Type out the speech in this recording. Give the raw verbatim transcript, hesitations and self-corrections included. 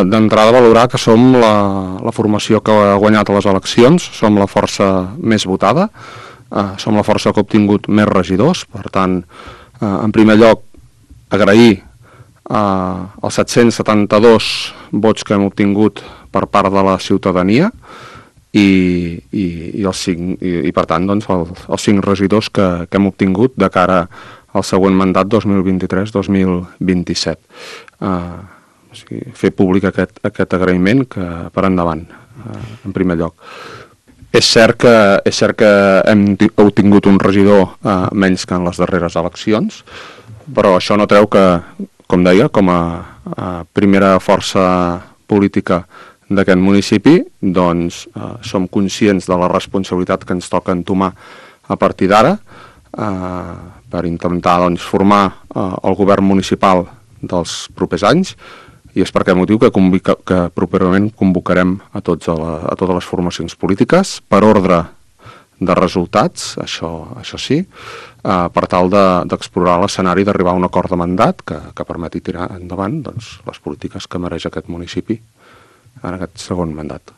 d'entrada valorar que som la, la formació que ha guanyat a les eleccions, som la força més votada, eh, som la força que ha obtingut més regidors, per tant, eh, en primer lloc, agrair eh, els set-cents setanta-dos vots que hem obtingut per part de la ciutadania i, i, i, els cinc, i, i per tant, doncs, el, els cinc regidors que, que hem obtingut de cara al següent mandat dos mil vint-i-tres dos mil vint-i-set. Eh, O sigui, fer públic aquest, aquest agraïment que per endavant, eh, en primer lloc. És cert que, és cert que hem obtingut un regidor eh, menys que en les darreres eleccions, però això no treu que, com deia, com a, a primera força política d'aquest municipi, doncs eh, som conscients de la responsabilitat que ens toca entomar a partir d'ara eh, per intentar doncs, formar eh, el govern municipal dels propers anys, i és per aquest motiu que, convica, que properament convocarem a, tots a, la, a totes les formacions polítiques per ordre de resultats, això, això sí, eh, per tal d'explorar de, l'escenari d'arribar a un acord de mandat que, que permeti tirar endavant doncs, les polítiques que mereix aquest municipi en aquest segon mandat.